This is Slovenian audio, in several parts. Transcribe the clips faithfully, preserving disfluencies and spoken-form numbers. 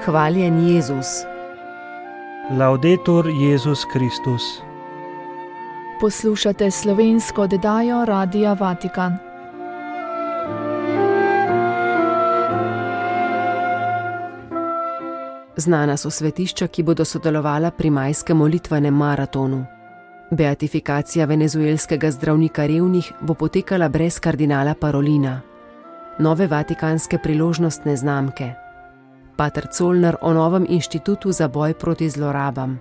Hvaljen Jezus. Laudetur Jezus Kristus. Poslušate slovensko oddajo Radia Vatikan. Znana so svetišča, ki bodo sodelovala pri majskem molitvenem maratonu. Beatifikacija venezuelskega zdravnika revnih bo potekala brez kardinala Parolina. Nove vatikanske priložnostne znamke. Pater Colner o novem inštitutu za boj proti zlorabam.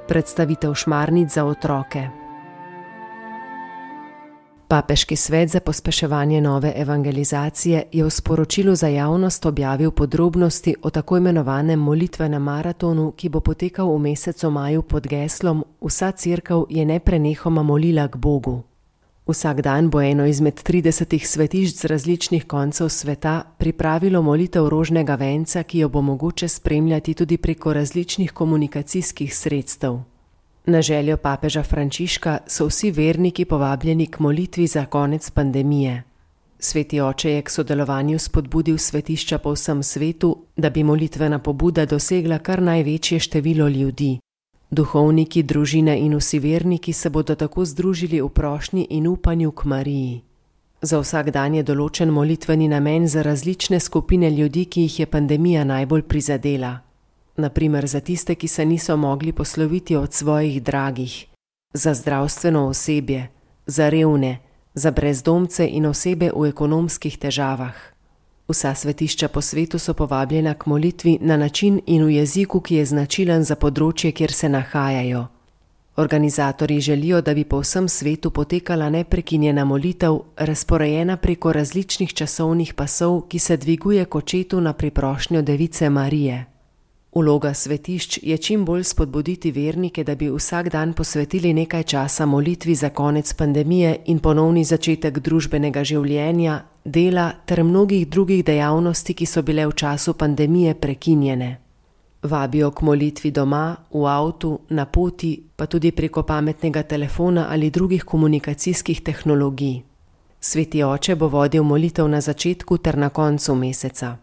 Predstavitev šmarnic za otroke. Papeški svet za pospeševanje nove evangelizacije je v sporočilu za javnost objavil podrobnosti o tako imenovanem molitvenem maratonu, ki bo potekal v mesecu maju pod geslom Vsa cerkev je neprenehoma molila k Bogu. Vsak dan bo eno izmed tridesetih svetišč z različnih koncev sveta pripravilo molitev rožnega venca, ki jo bo mogoče spremljati tudi preko različnih komunikacijskih sredstev. Na željo papeža Frančiška so vsi verniki povabljeni k molitvi za konec pandemije. Sveti oče je k sodelovanju spodbudil svetišča po vsem svetu, da bi molitvena pobuda dosegla kar največje število ljudi. Duhovniki, družine in vsi verniki se bodo tako združili v prošnji in upanju k Mariji. Za vsak dan je določen molitveni namen za različne skupine ljudi, ki jih je pandemija najbolj prizadela. Na primer za tiste, ki se niso mogli posloviti od svojih dragih, za zdravstveno osebje, za revne, za brezdomce in osebe v ekonomskih težavah. Vsa svetišča po svetu so povabljena k molitvi na način in v jeziku, ki je značilen za področje, kjer se nahajajo. Organizatorji želijo, da bi po vsem svetu potekala neprekinjena molitev, razporejena preko različnih časovnih pasov, ki se dviguje k očetu na priprošnjo Device Marije. Vloga svetišč je čim bolj spodbuditi vernike, da bi vsak dan posvetili nekaj časa molitvi za konec pandemije in ponovni začetek družbenega življenja, dela ter mnogih drugih dejavnosti, ki so bile v času pandemije prekinjene. Vabijo k molitvi doma, v avtu, na poti, pa tudi preko pametnega telefona ali drugih komunikacijskih tehnologij. Sveti oče bo vodil molitev na začetku ter na koncu meseca.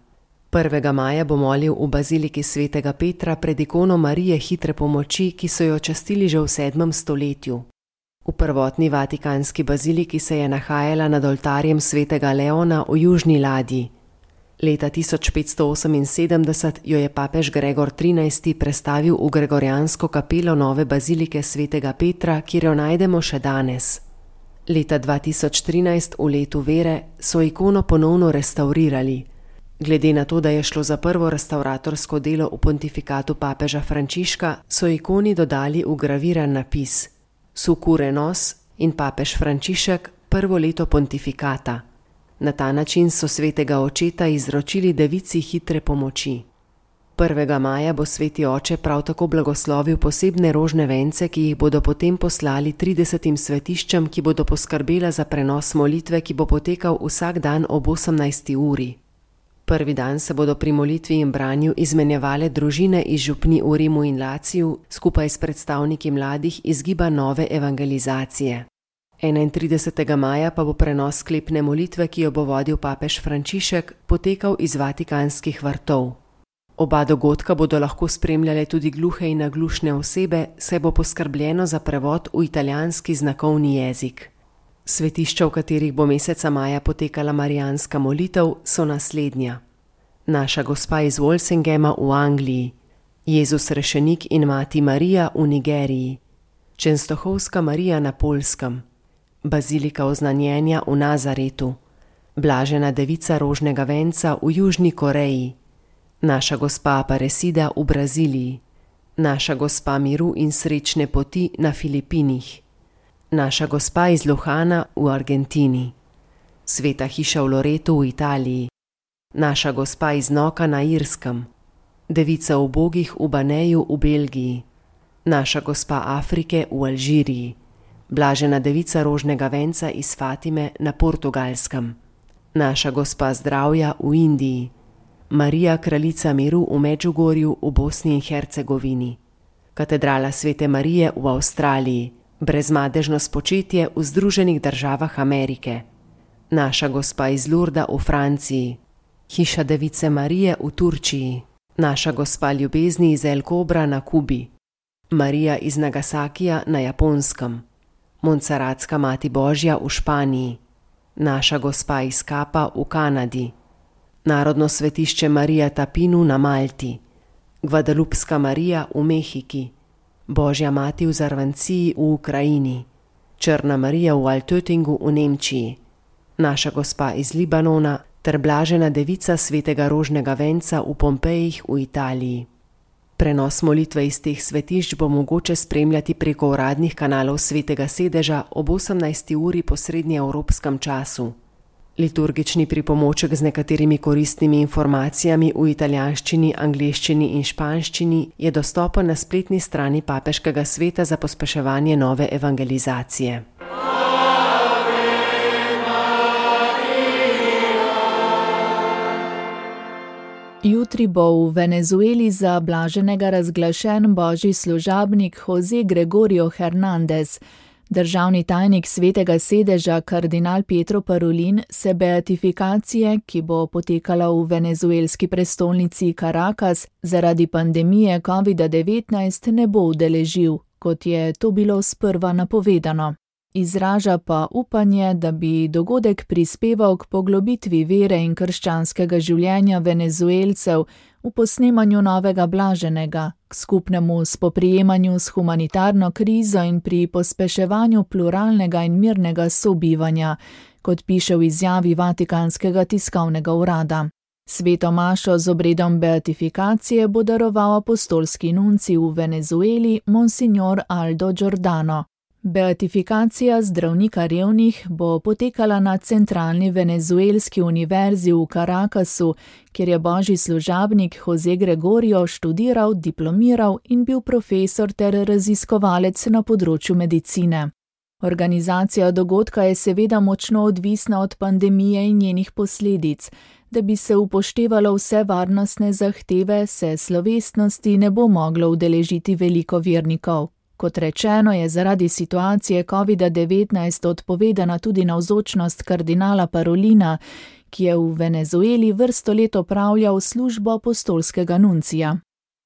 prvega maja bo molil v baziliki svetega Petra pred ikono Marije hitre pomoči, ki so jo častili že v sedmem stoletju. V prvotni vatikanski baziliki se je nahajala nad oltarjem svetega Leona v južni ladji. Leta tisoč petsto oseminsedemdeset jo je papež Gregor trinajsti prestavil v gregorijansko kapelo nove bazilike svetega Petra, kjer jo najdemo še danes. Leta dva tisoč trinajst, v letu vere, so ikono ponovno restavrirali. Glede na to, da je šlo za prvo restavratorsko delo v pontifikatu papeža Frančiška, so ikoni dodali vgraviran napis Succurre nos in papež Frančišek prvo leto pontifikata. Na ta način so svetega očeta izročili Devici hitre pomoči. prvega maja bo sveti oče prav tako blagoslovil posebne rožne vence, ki jih bodo potem poslali tridesetim svetiščem, ki bodo poskrbela za prenos molitve, ki bo potekal vsak dan ob osemnajsti uri. Prvi dan se bodo pri molitvi in branju izmenjevale družine iz župni v Rimu in Laciju skupaj s predstavniki mladih iz giba nove evangelizacije. enaintridesetega maja pa bo prenos sklepne molitve, ki jo bo vodil papež Frančišek, potekal iz vatikanskih vrtov. Oba dogodka bodo lahko spremljale tudi gluhe in naglušne osebe, saj bo poskrbljeno za prevod v italijanski znakovni jezik. Svetišča, v katerih bo meseca maja potekala marijanska molitev, so naslednja. Naša gospa iz Walsingema v Angliji, Jezus rešenik in mati Marija v Nigeriji, Čenstohovska Marija na Poljskem, Bazilika oznanjenja v Nazaretu, Blažena Devica rožnega venca v Južni Koreji, Naša gospa Aparecida v Braziliji, Naša gospa miru in srečne poti na Filipinih, Naša gospa iz Luhana v Argentini, Sveta hiša v Loretu v Italiji, Naša gospa iz Noka na Irskem, Devica ubogih v Baneju v Belgiji, Naša gospa Afrike v Alžiriji, Blažena Devica rožnega venca iz Fatime na Portugalskem, Naša gospa zdravja v Indiji, Marija kraljica miru v Medžugorju v Bosni in Hercegovini, Katedrala svete Marije v Avstraliji, Brezmadežno spočetje v Združenih državah Amerike, Naša gospa iz Lurda v Franciji, Hiša Device Marije v Turčiji, Naša gospa ljubezni iz El Cobra na Kubi, Marija iz Nagasakija na Japonskem, Montserratska mati Božja v Španiji, Naša gospa iz Kapa v Kanadi, Narodno svetišče Marija Tapinu na Malti, Guadalupska Marija v Mehiki, Božja mati v Zarvanciji v Ukrajini, Črna Marija v Altöttingu v Nemčiji, Naša gospa iz Libanona ter Blažena devica svetega rožnega venca v Pompejih v Italiji. Prenos molitve iz teh svetišč bo mogoče spremljati preko uradnih kanalov Svetega sedeža ob osemnajsti uri po srednjeevropskem času. Liturgični pripomoček z nekaterimi koristnimi informacijami v italijanščini, angleščini in španščini je dostopen na spletni strani Papeškega sveta za pospeševanje nove evangelizacije. Jutri bo v Venezueli za blaženega razglašen božji služabnik José Gregorio Hernández. Državni tajnik Svetega sedeža kardinal Pietro Parolin se beatifikacije, ki bo potekala v venezuelski prestolnici Caracas, zaradi pandemije covida devetnajst ne bo udeležil, kot je to bilo sprva napovedano. Izraža pa upanje, da bi dogodek prispeval k poglobitvi vere in krščanskega življenja Venezuelcev v posnemanju novega blaženega, k skupnemu spoprijemanju s humanitarno krizo in pri pospeševanju pluralnega in mirnega sobivanja, kot piše v izjavi Vatikanskega tiskovnega urada. Sveto mašo z obredom beatifikacije bo daroval apostolski nuncij v Venezueli Monsignor Aldo Giordano. Beatifikacija zdravnika revnih bo potekala na Centralni venezuelski univerzi v Caracasu, kjer je božji služabnik José Gregorio študiral, diplomiral in bil profesor ter raziskovalec na področju medicine. Organizacija dogodka je seveda močno odvisna od pandemije in njenih posledic. Da bi se upoštevalo vse varnostne zahteve, se slovesnosti ne bo moglo udeležiti veliko vernikov. Kot rečeno, je zaradi situacije covida devetnajst odpovedana tudi navzočnost kardinala Parolina, ki je v Venezueli vrsto let opravljal službo apostolskega nuncija.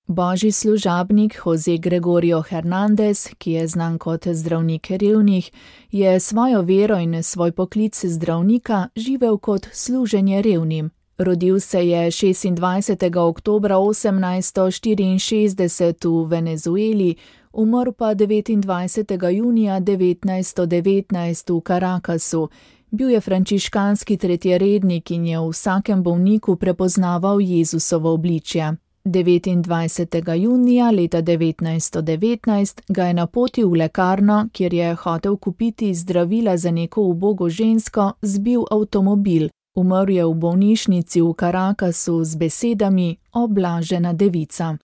Božji služabnik José Gregorio Hernández, ki je znan kot zdravnik revnih, je svojo vero in svoj poklic zdravnika živel kot služenje revnim. Rodil se je šestindvajsetega oktobra osemnajststo štiriinšestdeset v Venezueli, umrl pa devetindvajsetega junija devetnajststo devetnajst v Caracasu. Bil je frančiškanski tretjerednik in je v vsakem bolniku prepoznaval Jezusovo obličje. devetindvajsetega junija leta devetnajststo devetnajst ga je napotil v lekarno, kjer je hotel kupiti zdravila za neko ubogo žensko, zbil avtomobil. Umrl je v bolnišnici v Caracasu z besedami: "O blažena devica."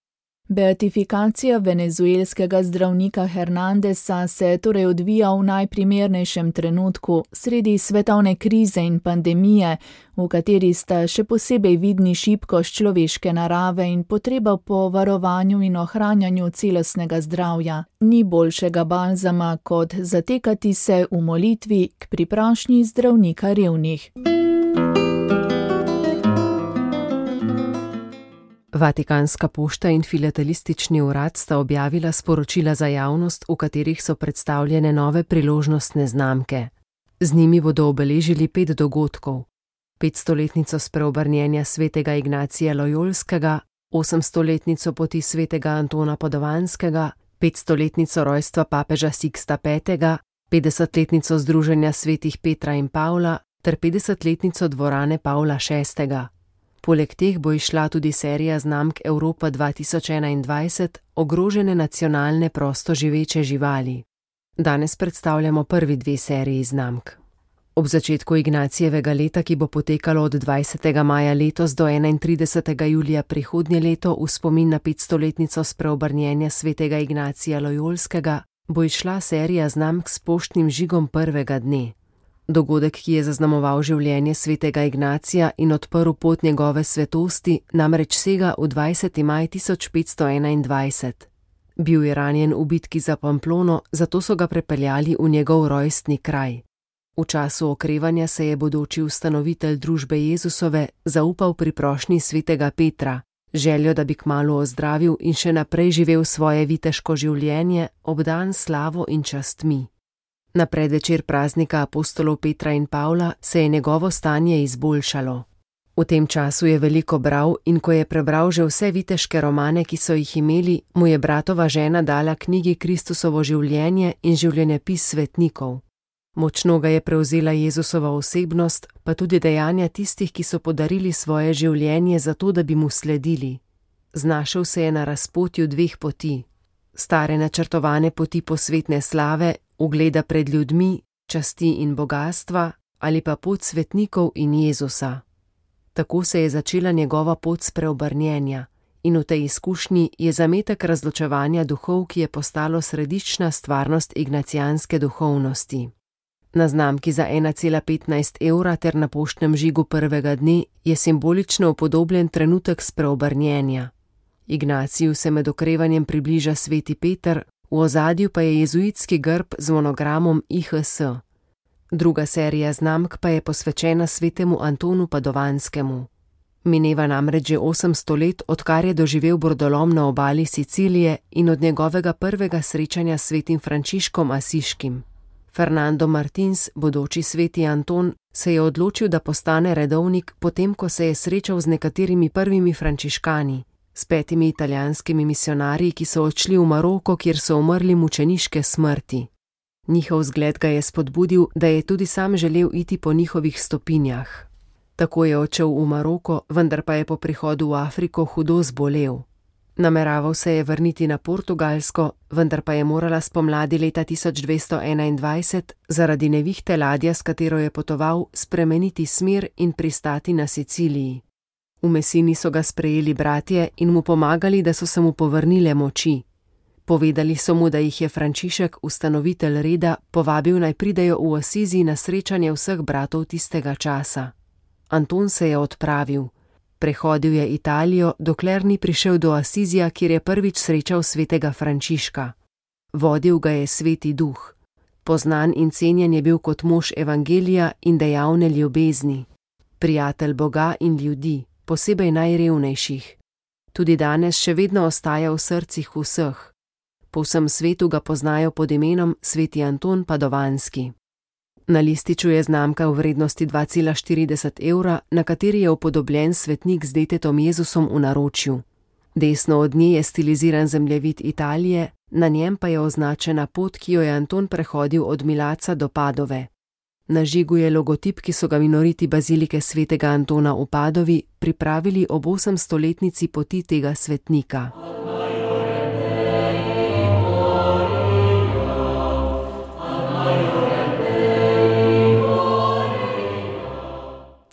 Beatifikacija venezuelskega zdravnika Hernándeza se torej odvija v najprimernejšem trenutku, sredi svetovne krize in pandemije, v kateri sta še posebej vidni šibkost človeške narave in potreba po varovanju in ohranjanju celostnega zdravja. Ni boljšega balzama, kot zatekati se v molitvi k priprošnji zdravnika revnih. Vatikanska pošta in filatelistični urad sta objavila sporočila za javnost, v katerih so predstavljene nove priložnostne znamke. Z njimi bodo obeležili pet dogodkov: petstoletnico spreobrnjenja svetega Ignacija Lojolskega, osemstoletnico poti svetega Antona Padovanskega, petstoletnico rojstva papeža Siksta petega, petdesetletnico združenja svetih Petra in Pavla ter petdesetletnico dvorane Pavla šestega. Poleg teh bo izšla tudi serija znamk Evropa dva tisoč enaindvajset, ogrožene nacionalne prosto živeče živali. Danes predstavljamo prvi dve seriji znamk. Ob začetku Ignacijevega leta, ki bo potekalo od dvajsetega maja letos do enaintridesetega julija prihodnje leto v spomin na petstoletnico spreobrnjenja svetega Ignacija Lojolskega, bo izšla serija znamk s poštnim žigom prvega dne. Dogodek, ki je zaznamoval življenje svetega Ignacija in odprl pot njegove svetosti, namreč sega v dvajseti maj tisoč petsto enaindvajset. Bil je ranjen v bitki za Pamplono, zato so ga prepeljali v njegov rojstni kraj. V času okrevanja se je bodoči ustanovitelj družbe Jezusove zaupal pri prošnji svetega Petra: željo, da bi kmalu ozdravil in še naprej živel svoje viteško življenje, obdan slavo in častmi. Na predvečer praznika apostolov Petra in Pavla se je njegovo stanje izboljšalo. V tem času je veliko bral in ko je prebral že vse viteške romane, ki so jih imeli, mu je bratova žena dala knjigi Kristusovo življenje in življenjepis svetnikov. Močno ga je prevzela Jezusova osebnost, pa tudi dejanja tistih, ki so podarili svoje življenje zato, da bi mu sledili. Znašel se je na razpotju dveh poti. Stare načrtovane poti posvetne slave, ugleda pred ljudmi, časti in bogastva, ali pa pot svetnikov in Jezusa. Tako se je začela njegova pot spreobrnjenja in v tej izkušnji je zametek razločevanja duhov, ki je postalo središčna stvarnost ignacijanske duhovnosti. Na znamki za ena cela petnajst evra ter na poštnem žigu prvega dne je simbolično upodobljen trenutek spreobrnjenja. Ignaciju se med okrevanjem približa sveti Peter, v ozadju pa je jezuitski grb z monogramom I H S. Druga serija znamk pa je posvečena svetemu Antonu Padovanskemu. Mineva namreč že osemsto let, odkar je doživel brodolom na obali Sicilije in od njegovega prvega srečanja s svetim Frančiškom Asiškim. Fernando Martins, bodoči sveti Anton, se je odločil, da postane redovnik, potem ko se je srečal z nekaterimi prvimi frančiškani, s petimi italijanskimi misionarji, ki so odšli v Maroko, kjer so umrli mučeniške smrti. Njihov zgled ga je spodbudil, da je tudi sam želel iti po njihovih stopinjah. Tako je odšel v Maroko, vendar pa je po prihodu v Afriko hudo zbolel. Nameraval se je vrniti na Portugalsko, vendar pa je morala spomladi leta tisoč dvesto enaindvajset zaradi nevihte ladja, s katero je potoval, spremeniti smer in pristati na Siciliji. V Messini so ga sprejeli bratje in mu pomagali, da so se mu povrnile moči. Povedali so mu, da jih je Frančišek, ustanovitelj reda, povabil naj pridejo v Asizi na srečanje vseh bratov tistega časa. Anton se je odpravil. Prehodil je Italijo, dokler ni prišel do Asizija, kjer je prvič srečal svetega Frančiška. Vodil ga je sveti duh. Poznan in cenjen je bil kot mož evangelija in dejavne ljubezni. Prijatelj Boga in ljudi, posebej najrevnejših. Tudi danes še vedno ostaja v srcih vseh. Po vsem svetu ga poznajo pod imenom sveti Anton Padovanski. Na lističu je znamka v vrednosti dva cela štirideset evra, na kateri je upodobljen svetnik z detetom Jezusom v naročju. Desno od nje je stiliziran zemljevid Italije, na njem pa je označena pot, ki jo je Anton prehodil od Milaca do Padove. Na žigu je logotip, ki so ga minoriti bazilike svetega Antona v Padovi pripravili ob osemstoletnici poti tega svetnika.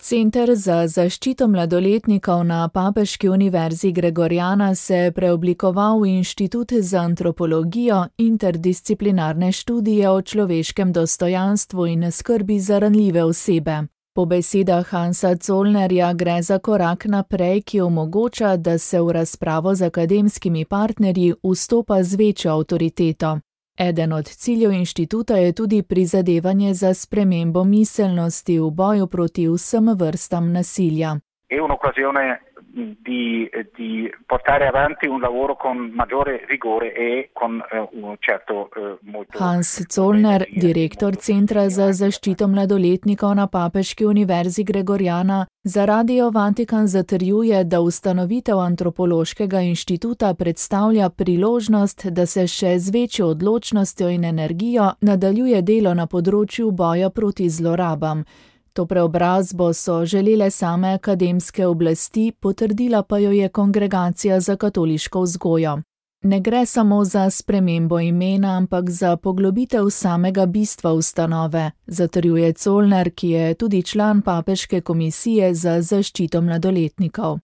Center za zaščito mladoletnikov na Papeški univerzi Gregoriana se je preoblikoval v Inštitut za antropologijo, interdisciplinarne študije o človeškem dostojanstvu in skrbi za ranljive osebe. Po besedah Hansa Zollnerja gre za korak naprej, ki omogoča, da se v razpravo z akademskimi partnerji vstopa z večjo avtoriteto. Eden od ciljev inštituta je tudi prizadevanje za spremembo miselnosti v boju proti vsem vrstam nasilja. È un'occasione di, di portare avanti un lavoro con maggiore rigore e con eh, un certo eh, molto... Hans Zollner, direktor Centra za zaščito mladoletnikov na Papeški univerzi Gregoriana, za Radio Vatikan zatrjuje, da ustanovitev antropološkega inštituta predstavlja priložnost, da se še z večjo odločnostjo in energijo nadaljuje delo na področju boja proti zlorabam. To preobrazbo so želele same akademske oblasti, potrdila pa jo je Kongregacija za katoliško vzgojo. Ne gre samo za spremembo imena, ampak za poglobitev samega bistva ustanove, zatrjuje Zollner, ki je tudi član Papeške komisije za zaščito mladoletnikov.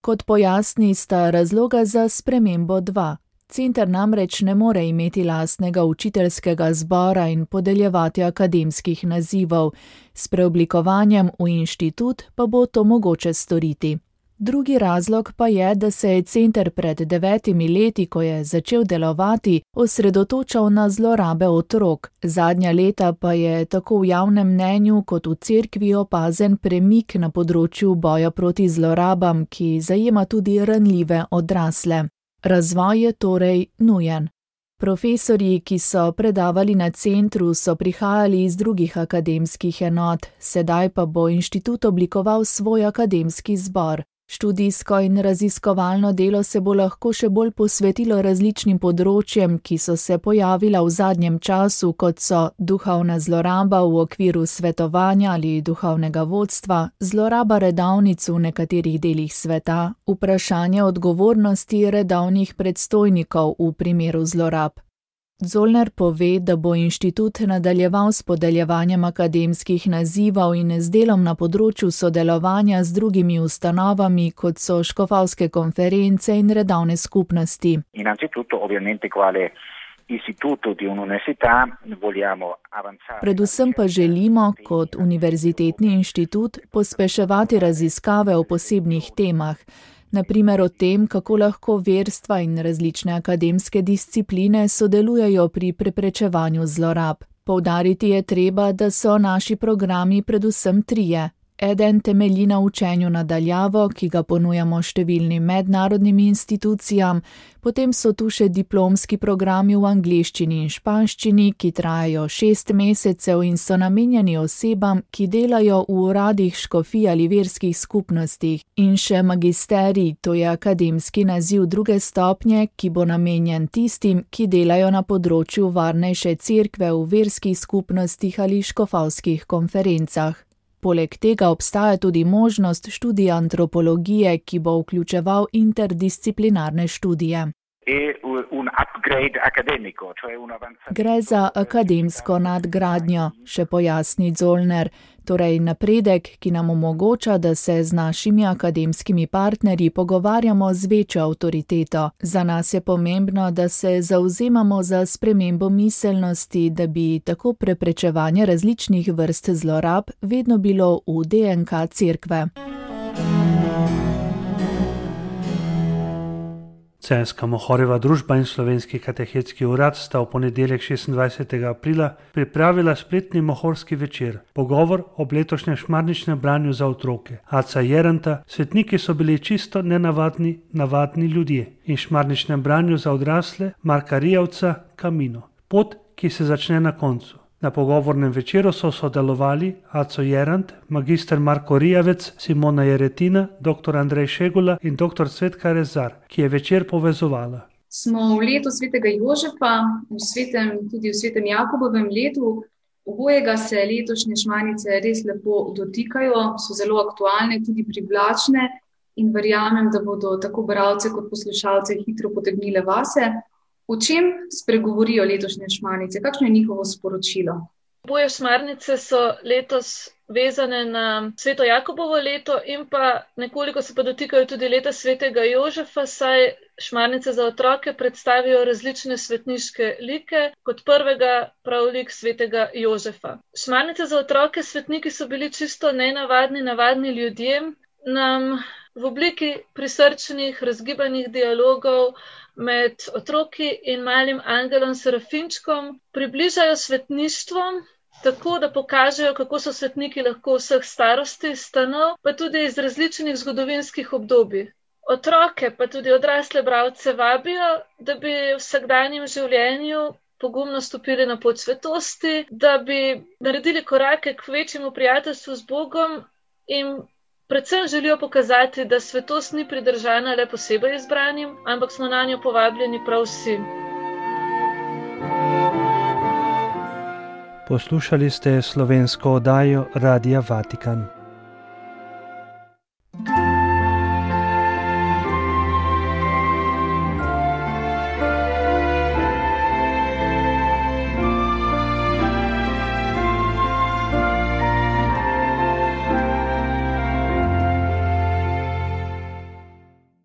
Kot pojasni, sta razloga za spremembo dva. Center namreč ne more imeti lastnega učiteljskega zbora in podeljevati akademskih nazivov, s preoblikovanjem v inštitut pa bo to mogoče storiti. Drugi razlog pa je, da se je center pred devetimi leti, ko je začel delovati, osredotočal na zlorabe otrok. Zadnja leta pa je tako v javnem mnenju kot v cerkvi opazen premik na področju boja proti zlorabam, ki zajema tudi ranljive odrasle. Razvoj je torej nujen. Profesorji, ki so predavali na centru, so prihajali iz drugih akademskih enot, sedaj pa bo inštitut oblikoval svoj akademski zbor. Študijsko in raziskovalno delo se bo lahko še bolj posvetilo različnim področjem, ki so se pojavila v zadnjem času, kot so duhovna zloraba v okviru svetovanja ali duhovnega vodstva, zloraba redavnic v nekaterih delih sveta, vprašanje odgovornosti redavnih predstojnikov v primeru zlorab. Zollner pove, da bo inštitut nadaljeval s podeljevanjem akademskih nazivov in z delom na področju sodelovanja z drugimi ustanovami, kot so škofovske konference in redavne skupnosti. Predvsem pa želimo, kot univerzitetni inštitut, pospeševati raziskave o posebnih temah, na primer o tem, kako lahko verstva in različne akademske discipline sodelujejo pri preprečevanju zlorab. Poudariti je treba, da so naši programi predvsem trije. Eden temelji na učenju na daljavo, ki ga ponujamo številnim mednarodnim institucijam, potem so tu še diplomski programi v angleščini in španščini, ki trajajo šest mesecev in so namenjeni osebam, ki delajo v uradih škofij ali verskih skupnostih, in še magisterij, to je akademski naziv druge stopnje, ki bo namenjen tistim, ki delajo na področju varnejše cerkve v verskih skupnostih ali škofovskih konferencah. Poleg tega obstaja tudi možnost študija antropologije, ki bo vključeval interdisciplinarne študije. Gre za akademsko nadgradnjo, še pojasni Zollner, torej napredek, ki nam omogoča, da se z našimi akademskimi partnerji pogovarjamo z večjo avtoriteto. Za nas je pomembno, da se zavzemamo za spremembo miselnosti, da bi tako preprečevanje različnih vrst zlorab vedno bilo v D N K cerkve. Celjska Mohorjeva družba in Slovenski katehetski urad sta v ponedeljek šestindvajsetega aprila pripravila spletni mohorski večer, pogovor ob letošnjem šmarničnem branju za otroke. Aca Jeranta, svetniki so bili čisto nenavadni, navadni ljudje in šmarničnem branju za odrasle Marka Rijavca Kamino. Pot, ki se začne na koncu. Na pogovornem večeru so sodelovali Aco Jerant, magister Marko Rijavec, Simona Jeretina, doktor Andrej Šegula in doktor Cvetka Rezar, ki je večer povezovala. Smo v letu svetega Jožefa, v svetem, tudi v svetem Jakobovem letu, obojega se letošnje šmarnice res lepo dotikajo, so zelo aktualne, tudi privlačne in verjamem, da bodo tako bralce kot poslušalce hitro potegnile vase. O čem spregovorijo letošnje šmarnice? Kakšno je njihovo sporočilo? Oboje šmarnice so letos vezane na sveto Jakobovo leto in pa nekoliko se pa dotikajo tudi leta svetega Jožefa, saj šmarnice za otroke predstavijo različne svetniške like, kot prvega prav lik svetega Jožefa. Šmarnice za otroke svetniki so bili čisto nenavadni, navadni ljudje, nam v obliki prisrčnih, razgibanih dialogov med otroki in malim angelom Serafinčkom približajo svetništvo, tako da pokažejo, kako so svetniki lahko vseh starosti, stanov, pa tudi iz različnih zgodovinskih obdobij. Otroke pa tudi odrasle bralce vabijo, da bi v vsakdanjem življenju pogumno stopili na pot svetosti, da bi naredili korake k večjemu prijateljstvu z Bogom in predvsem želijo pokazati, da svetost ni pridržana le posebej izbranim, ampak smo na njo povabljeni prav vsi. Poslušali ste slovensko oddajo Radia Vatikan.